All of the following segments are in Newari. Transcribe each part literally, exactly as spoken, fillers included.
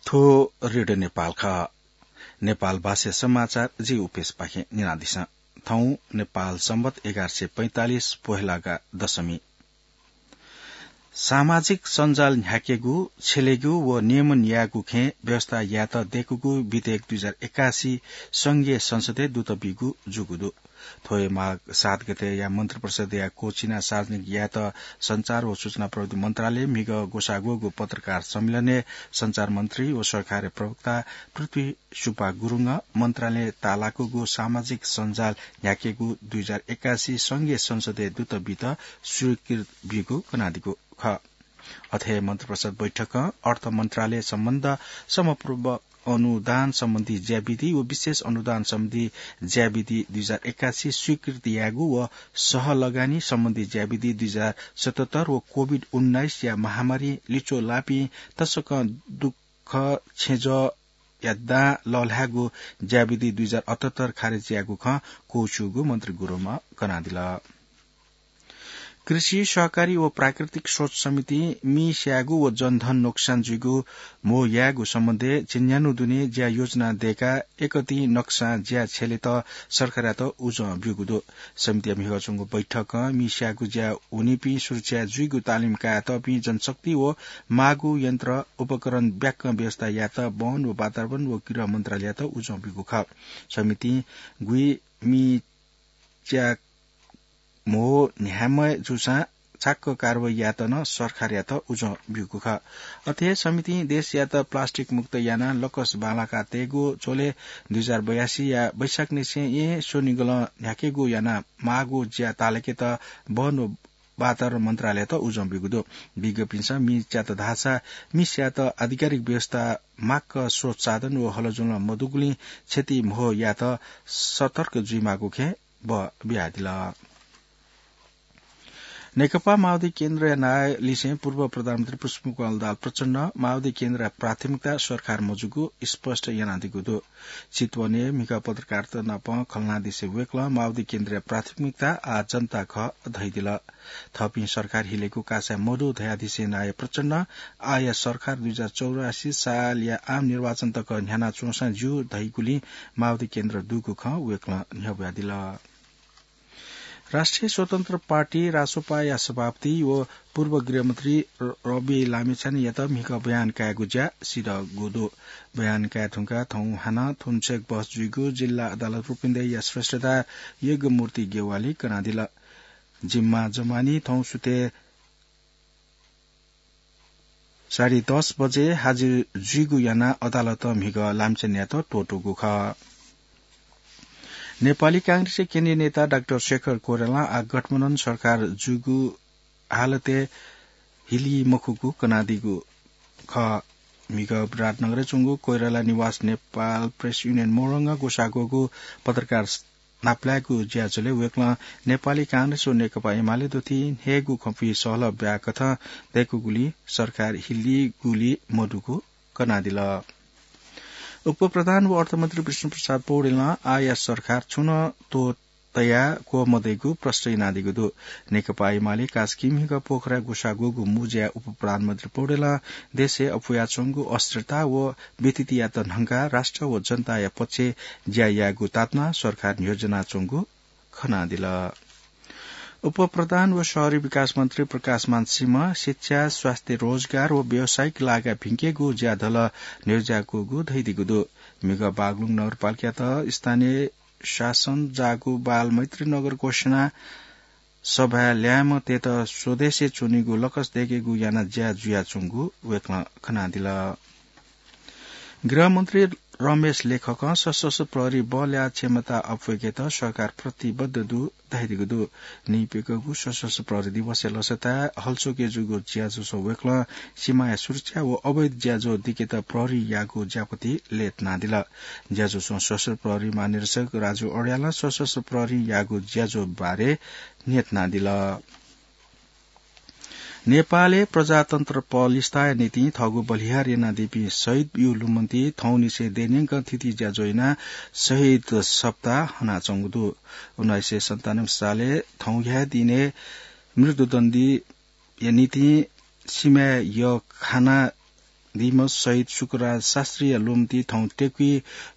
थ्व रेडियो नेपाल खः। नेपाल भाषा समाचार जि उपेशपाखें न्यनादिसँ। थौं नेपाल संवत एघार सय पैंतालिस पोहेलागा दशमी। सामाजिक सञ्जाल न्ह्याकेगु, छ्यलेगु व नियमन यायेगु खँय् व्यवस्था यायेत दय्कूगु बितेक दुई हजार एकासी संघीय संसदय् दुत बीगु जूगु दु। थ्व हे माघ सात गतेया मन्त्रिपरिषदया क्वःछिना सार्वजनिक यायेत सञ्चार व सूचना प्रविधि मन्त्रालय म्हिगः ग्वसाः ग्वःगु पत्रकार सम्मेलनय् सञ्चार मन्त्री व सरकारया प्रवक्ता पृथ्वी सुब्बा गुरुङं मन्त्रालयं ताःलाकूगु सामाजिक सञ्जाल न्ह्याकेगु दुई हजार एकासी संघीय संसदय् दुत बीत स्वीकृत बीगु कनादीगु खः। अथे हे मन्त्रिपरिषद बैठकं अर्थ मन्त्रालय सम्बन्ध समपूर्व अनुदान सम्बन्धी ज्याविधि व विशेष अनुदान सम्बन्धी ज्याविधि दुई हजार एकासी स्वीकृत यायेगु व सहलगानी सम्बन्धी ज्याविधि दुई हजार सतहत्तर व कोभिड उन्नाइसया महामारी लिच्वः लाःपिं तसकं दुःख छेँजःया दां लःल्हायेगु ज्याविधि दुई हजार अठहत्तर खारेज यायेगु खँ क्वःछिउगु मन्त्री गुरुङं कनादिल। कृषि, सहकारी व प्राकृतिक स्रोत समितिं मि स्यायेगु व जनधन नोक्सान जुइगु म्हो यायेगु सम्बन्धय् झिंन्यान्हु दुने ज्या योजना दय्काः एकतिं नक्सां ज्या छ्यलेत सरकारयात उजं ब्यूगु दु। समितिया म्हिगः च्वंगु बैठकं मि स्यायेगु ज्या वनीपिं सुरक्षा जुइगु तालिम कायेतःपिं जनशक्ति व माःगु यन्त्र उपकरण ब्याक्क व्यवस्था यायेत वन व वातावरण व गृह मन्त्रालययात उजं ब्यूगु खः। समितिं गुइ मि च्या म्हो न्ह्याम्ह जूसां छाक्क कारवाही यायेत नं सरकारयात उजं ब्यूगु खः। अथे हे समितिं देशयात प्लास्टिक मुक्त यानाः लकस बांलाका तयेगु झ्वलय् दुई हजार बयासीया वैशाख निसें येँ स्वनिगलं न्ह्याकेगु यानाः माःगु ज्या ताःलाकेत वन व वातावरण मन्त्रालययात उजं ब्यूगु दु। विज्ञपिन्सं मि च्यात धाःसा मि स्यायेत आधिकारिक व्यवस्था, माक्क स्रोत साधन व हलजुलं मदुगुलिं क्षति म्हो यायेत सतर्क जुइमाःगु खँय् बः बियादिल। नेकपा माओवादी केन्द्रया नायः लिसें पूर्व प्रधानमन्त्री पुष्पकमल दाहाल प्रचण्डं माओवादी केन्द्रया प्राथमिकता सरकार मजूगु स्पष्ट यानादीगु दु। चितवनय् म्हिगः पत्रकारत नाप खँ ल्हानादिसे वय्कलं माओवादी केन्द्रया प्राथमिकता आः जनता खः धयादिल। थःपिं सरकार हिलेगु कासाय् मदु धयादिसे नायः प्रचण्डं आःया सरकार दुई हजार चौरासी सालया आम निर्वाचन तक न्ह्यानाच्वंसां ज्यू धइगुलिं माओवादी केन्द्र दुगु खँ वय्कलं न्ह्यब्वयादिल। राष्ट्रिय स्वतन्त्र पार्टी, रासोपाया सभापति व पूर्व गृहमन्त्री र-, रवि लामिछानेयात म्हिगः बयान कायेगु ज्या सिधःगु दु। बयान काये धुंकाः थौं हानं थुन्सेक बहस जुइगु जिल्ला अदालत रूपन्देहीया श्रेष्ठदार यज्ञमूर्ति ज्ञवालीं कनादिल। जिम्मा जमानी थौं सुथय् साढे दस बजे हाजिर जुइगु यानाः अदालतं म्हिगः लामिछानेयात त्वःतूगु खः। नेपाली कांग्रेसया केन्द्रीय नेता डाक्टर शेखर कोइरालां आः गठबन्धन सरकार जुइगु हालतय् हिली मखुगु कनादीगु खः। म्हिगः विराटनगरय् च्वंगु कोइराला निवास नेपाल प्रेस युनियन मोरङं ग्वसाः ग्वःगु पत्रकार नापलायेगु ज्याझ्वलय् वय्कलं नेपाली कांग्रेस व नेकपा एमाले दुथि न्ह्यःगु खँपुइ सहलह ब्याकथं दय्कूगुलिं सरकार हिलीगुली मदुगु कनादिल। उपप्रधान व अर्थमन्त्री विष्णुप्रसाद पौडेलं आःया सरकार छुं नं त्वःतया क्वः मदइगु प्रष्ट यानादीगु दु। नेकपा एमाले कास्की म्हिगः पोखराय् ग्वसाः ग्वःगु मुँज्याय् उपप्रधानमन्त्री पौडेलं देशय् अप्वयाच्वंगु अस्थिरता व विथितियात न्हंकाः राष्ट्र व जनताया पक्षय् ज्या यायेगु तातुनाः सरकार न्ह्यज्यानाच्वंगु खनादिल। उपप्रधान व शहरी विकास मन्त्री प्रकाशमान सिंहं शिक्षा, स्वास्थ्य, रोजगार व व्यावसायिक लागा भिंकेगु ज्याझ्वलय् न्ह्यज्याकूगु धयादीगु दु। म्हिगः बागलुङ नगरपालिकायात स्थानीय शासन जाःगु बालमैत्री नगर घोषणा सभाय् ल्याय्म्हतय्त स्वदेशय् च्वनीगु लकस दय्केगु यानाः ज्या जुयाच्वंगु वय्कलं खनादिल। गृहमन्त्री रमेश लेखकं सशस्त्र प्रहरी बलया क्षमता अप्वय्केत सरकार प्रतिबद्ध दु धयादीगु दु। नीप्यघौ सशस्त्र प्रहरी दिवसया लसताय् हलचोकय् जूगु ज्याझ्वलय् वय्कलं सीमाया सुरक्षा व अवैध ज्याझ्वः दिकेत प्रहरीयागु ज्यापति लय्तानादिल। ज्याझ्वलय् सशस्त्र प्रहरी महानिरीक्षक राजु अर्यालं सशस्त्र प्रहरीयागु ज्याझ्वः बारे न्ह्यथनादिल। नेपालय् प्रजातन्त्र पलिस्ताया निंतिं थःगु बलिहार यानादीपिं शहीदयु लुमन्ति थौंनिसें देय्न्यंकं थीथी ज्याझ्वः यानाः शहीद सप्ताह हनाच्वंगु दु। उन्नाइस सय सन्तानब्बे सालय् थौंया दिनय् मृत्युदण्डीया निंतिं सिमाय् यःखाना दिमस शहीद शुक्रराज शास्त्रीया लुमति थौं तेकुइ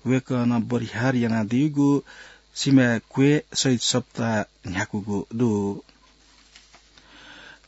वय्कलं बरिहार यानादीगु सिमाय् क्वय् शहीद सप्ताह न्ह्याकूगु दु।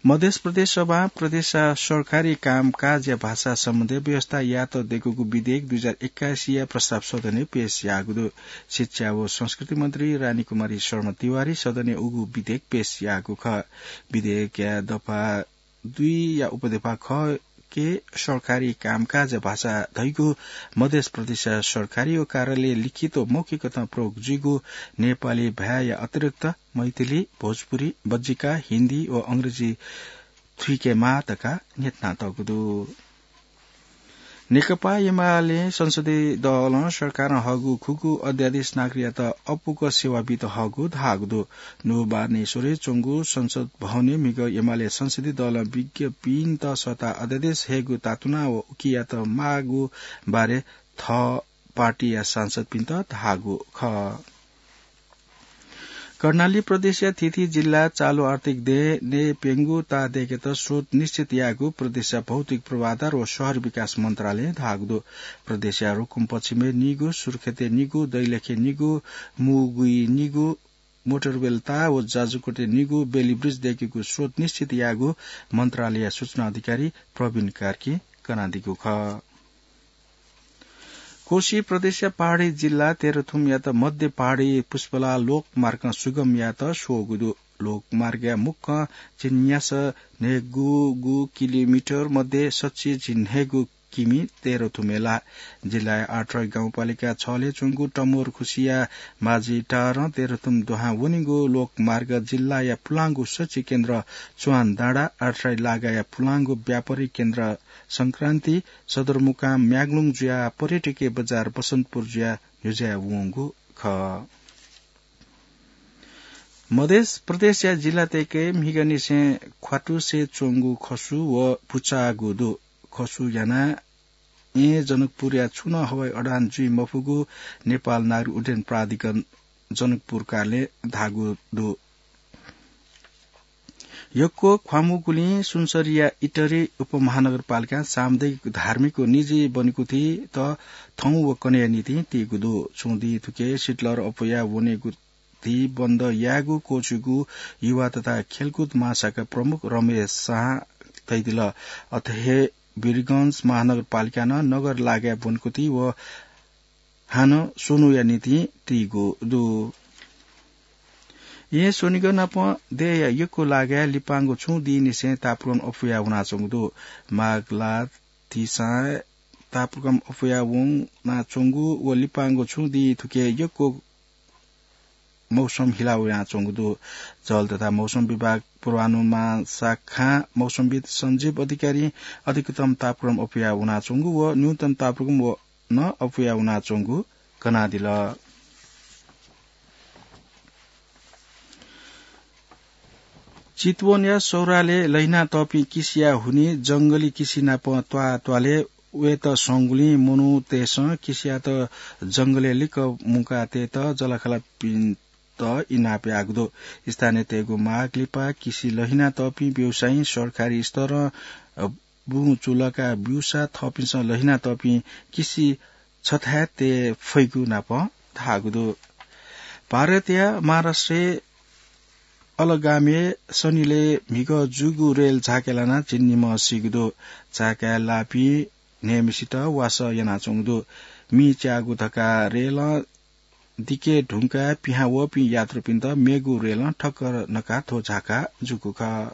मध्य प्रदेश सभां प्रदेशया सरकारी कामकाजया भाषा सम्बन्धी व्यवस्था यात देकूगु विधेयक दुई हजार एक्काइसया प्रस्ताव सदनय् पेश याःगु दु। शिक्षा व संस्कृति मन्त्री रानी कुमारी शर्मा तिवारी सदनय् उगु विधेयक पेश याःगु खः। विधेयकया दफा दुईया उपदफा ख के सरकारी कामकाजया भाषा धइगु मध्य प्रदेशया सरकारी व कार्यालय लिखित व मौखिकतं प्रयोग जुइगु नेपाली भाय्‌या अतिरिक्त मैथिली, भोजपुरी, बज्जिका, हिन्दी व अंग्रेजी थुइकेमाः धकाः न्ह्यथनातःगु दु। नेकपा एमाले संसदीय दलं सरकारं हःगु खुगू अध्यादेश नागरिकयात अपुक सेवा बीत हःगु धाःगु दु। नुगः बानेश्वरय् च्वंगु संसद भवनय् म्हिगः एमाले संसदीय दलं विज्ञपिन्त सःताः अध्यादेश हयेगु तातुना व उकियात माःगु बारे थः पार्टीया सांसदपिन्त धाःगु खः। कर्णाली प्रदेशया थीथी जिल्ला चालु आर्थिक दँय् नये प्यंगु ताः दय्केत स्रोत निश्चित यायेगु प्रदेशया भौतिक पूर्वाधार व शहर विकास मन्त्रालयं धाःगु दु। प्रदेशया रुकुम पश्चिमय् निगू, सुर्खेतय् निगू, दैलेखय् निगू, मुगुइ निगू, मोटरवेल ताः व जाजरकोटय् निगू बेली ब्रिज दय्केगु स्रोत निश्चित यायेगु मन्त्रालयया सूचना अधिकारी प्रवीण कार्कीं कनादीगु खः। कोशी प्रदेशया पहाडी जिल्ला तेह्रथुमयात मध्य पहाडी पुष्पलाल लोकमार्गं सुगम यायेत स्वःगु दु। लोकमार्गया मुक्कं झिंन्यासः न्हय्गू किलोमिटर मध्ये सच्छि झिंन्हय्गू किमि तेह्रथुमय् लाः। जिल्लाया आठराई गाउँपालिका छलय् च्वंगु टमोरखुसिया माझिटारं तेह्रथुम दुहां वनीगु लोकमार्ग जिल्लाया पुलांगु सच्छि केन्द्र चुवानडाँडा, आठराई लागाया पुलांगु व्यापारिक केन्द्र संक्रान्ति, सदरमुकाम म्याग्लुङ जुयाः पर्यटकीय बजार बसन्तपुर जुयाः न्ह्यज्याये वंगु खः। मध्य प्रदेशया जिल्ला तय्के म्हिगःनिसें ख्वातुसे च्वंगु खसु व पुचाःगु दु। खसु यानाः येँ जनकपुरया छुं नं हवाई उडान जुइ मफुगु नेपाल नागरिक उड्डयन प्राधिकरण जनकपुर कार्यालयं धाःगु दु। यक्व ख्वामूगुलिं सुनसरीया इटरी उपमहानगरपालिकां सामुदायिक, धार्मिक व निजी वनेकुथित थौं व कन्हय्या निंतिं तीगु दु। छुं दिं थुके सिटलर अप्वया वनेकुथि बन्द यायेगु क्वःछिगु युवा तथा खेलकुद महाशाखा प्रमुख रमेश शाहं धयादिल। अथे हे वीरगंज महानगरपालिकां नं नगर लागाय् वनेकुथि व हानं स्वन्हुया निंतिं तीगु दु। येँ स्वनिगः नाप देय्‌या यक्व लागाय् लिपांगु छुं दिंनिसें तापाक्रम अप्वया वनाच्वंगु दु। माघ ला तिसां तापाक्रम अप्वया वनाच्वंगु व लिपांगु छुं दिं थुके यक्व मौसम हिला वनाच्वंगु दु। जल तथा मौसम विभाग पूर्वानुमान शाखां मौसमविद् सञ्जीव अधिकारीं अधिकतम तापक्रम अप्वया वनाच्वंगु व न्यूनतम तापक्रम व नं अप्वया वनाच्वंगु कनादिल। चितवनया सौराले लहिना तःपिं किसिया हुनि जंगली किसि नाप त्वाः त्वालय् वयेत संगुलिं मनूतय्‌सं किसियात जंगलय् लिक्क मुंकातयेत जःलाखःलापिन्त इनाप याःगु दु। स्थानीयतय्‌गु माग लिपा किसि लहिना तःपिं व्यवसायीं सरकारी स्तरं, अ, बुँ चुलका ब्यूसा थःपिन्सं लहिना तःपिं किसि छथाय् तये फइगु नाप धाःगु दु। भारतया महाराष्ट्रय् अलगामय् शनिलय् म्हिगः जूगु रेल झाँक्या लानाः झिंनिम्ह सीगु दु। झाँक्या लाःपिं न्हय्‌म्हसित वासः यानाच्वंगु दु। मि च्याःगु धकाः रेलं दिके धुंकाः पिहां वःपिं यात्रुपिन्त मेगु रेलं ठक्कर नकाः थ्व झाँक्का जूगु खः।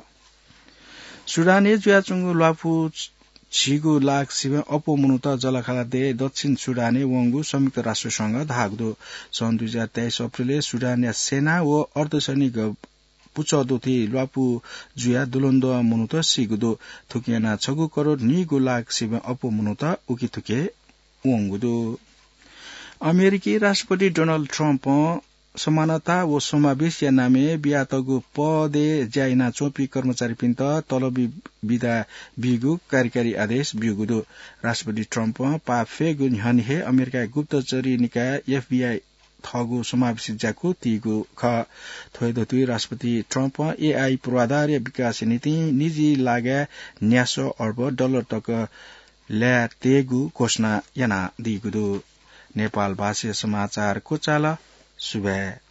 सुडानय् जुयाच्वंगु ल्वापु झिगू लाख सिबें अप्वः मनूत जःलाखःला देय् दक्षिण सुडानय् वंगु संयुक्त राष्ट्र संघं धाःगु दु। सन् दुई हजार तेइस अप्रिलय् सुडानया सेना व अर्धसैनिक पुचः दुथुइ ल्वापु जुयाः दुलुन्दुं मनूत सीगु दु। थुकिं यानाः छगू करोड नीगू लाख सिबें अप्वः मनूत उकिथुके वंगु दु। अमेरिकी राष्ट्रपति डोनाल्ड ट्रम्पं समानता व समावेशया नामय् बियातःगु पदय् ज्या यानाच्वंपिं कर्मचारीपिन्त तलबी बिदा बीगु कार्यकारी आदेश ब्यूगु दु। राष्ट्रपति ट्रम्पं पाफेगु न्ह्यःने हे अमेरिकाया गुप्तचरी निकाय एफबीआई थःगु समावेशी ज्याकू तीगु खः। थ्व हे दथुइ राष्ट्रपति ट्रम्पं एआई पूर्वाधारया विकासया निंतिं निजी लागाय् न्यासः अर्ब डलर तक ल्याय् तयेगु घोषणा यानादीगु दु। नेपाल भाषाया समाचार क्वचाल। सुभाय्।